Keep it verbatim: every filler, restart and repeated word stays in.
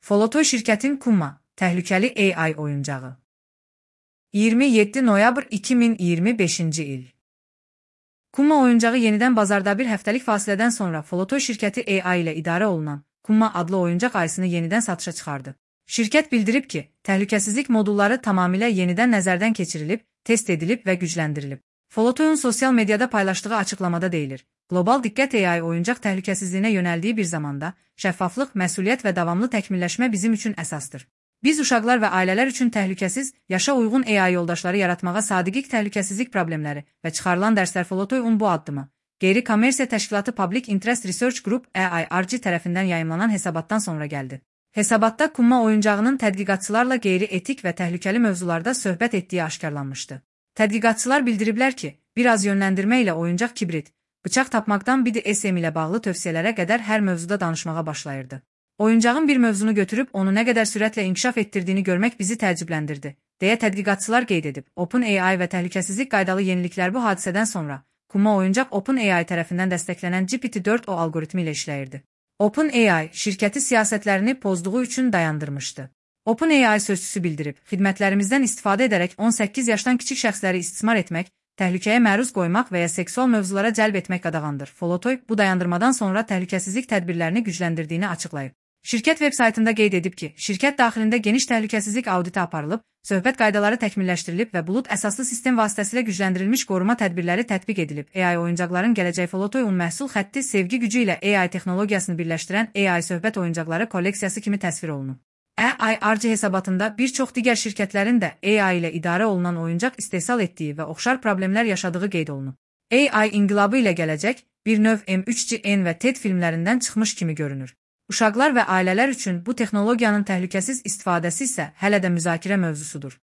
Folotoy şirkətin Kuma, təhlükəli A I oyuncağı. iyirmi yeddi noyabr iki min iyirmi beşinci il. Kuma oyuncağı yenidən bazarda bir həftəlik fasilədən sonra Folotoy şirkəti A I ilə idarə olunan Kuma adlı oyuncaq ayısını yenidən satışa çıxardı. Şirkət bildirib ki, təhlükəsizlik modulları tamamilə yenidən nəzərdən keçirilib, test edilib və gücləndirilib. Folotoyun sosial mediada paylaşdığı açıqlamada deyilir: Qlobal diqqət A I oyuncaq təhlükəsizliyinə yönəldiyi bir zamanda, şəffaflıq, məsuliyyət və davamlı təkmilləşmə bizim üçün əsasdır. Biz uşaqlar və ailələr üçün təhlükəsiz, yaşa uyğun A I yoldaşları yaratmağa sadiq təhlükəsizlik problemləri və çıxarılan dərslər Folotoyun bu addımı, qeyri-kommersiya təşkilatı Public Interest Research Group A I R G tərəfindən yayımlanan hesabatdan sonra gəldi. Hesabatda Kuma oyuncağının tədqiqatçılarla qeyri-etik və təhlükəli mövzularda söhbət etdiyi aşkarlanmışdı. Tədqiqatçılar bildiriblər ki, bir az yönləndirmə ilə oyuncaq kibrit, bıçaq tapmaqdan B D S M ilə bağlı tövsiyələrə qədər hər mövzuda danışmağa başlayırdı. Oyuncağın bir mövzunu götürüb onu nə qədər sürətlə inkişaf etdirdiyini görmək bizi təəccübləndirdi, deyə tədqiqatçılar qeyd edib. OpenAI və təhlükəsizlik qaydalı yeniliklər bu hadisədən sonra Kuma oyuncaq OpenAI tərəfindən dəstəklənən G P T dörd O alqoritmi ilə işləyirdi. OpenAI şirkəti siyasətlərini pozduğu üçün dayandırmışdı. OpenAI sözçüsü bildirib, xidmətlərimizdən istifadə edərək on səkkiz yaşdan kiçik şəxsləri istismar etmək, təhlükəyə məruz qoymaq və ya seksual mövzulara cəlb etmək qadağandır. Folotoy bu dayandırmadan sonra təhlükəsizlik tədbirlərini gücləndirdiyini açıqlayıb. Şirkət veb-saytında qeyd edib ki, şirkət daxilində geniş təhlükəsizlik auditi aparılıb, söhbət qaydaları təkmilləşdirilib və bulut əsaslı sistem vasitəsilə gücləndirilmiş qoruma tədbirləri tətbiq edilib. A I oyuncaqların gələcək Folotoyun məhsul xətti sevgi gücü ilə A I texnologiyasını birləşdirən A I söhbət oyuncaqları kolleksiyası kimi təsvir olunub. A I R G hesabatında bir çox digər şirkətlərin də A I ilə idarə olunan oyuncaq istehsal etdiyi və oxşar problemlər yaşadığı qeyd olunub. A I inqilabı ilə gələcək bir növ M üç G N və TED filmlərindən çıxmış kimi görünür. Uşaqlar və ailələr üçün bu texnologiyanın təhlükəsiz istifadəsi isə hələ də müzakirə mövzusudur.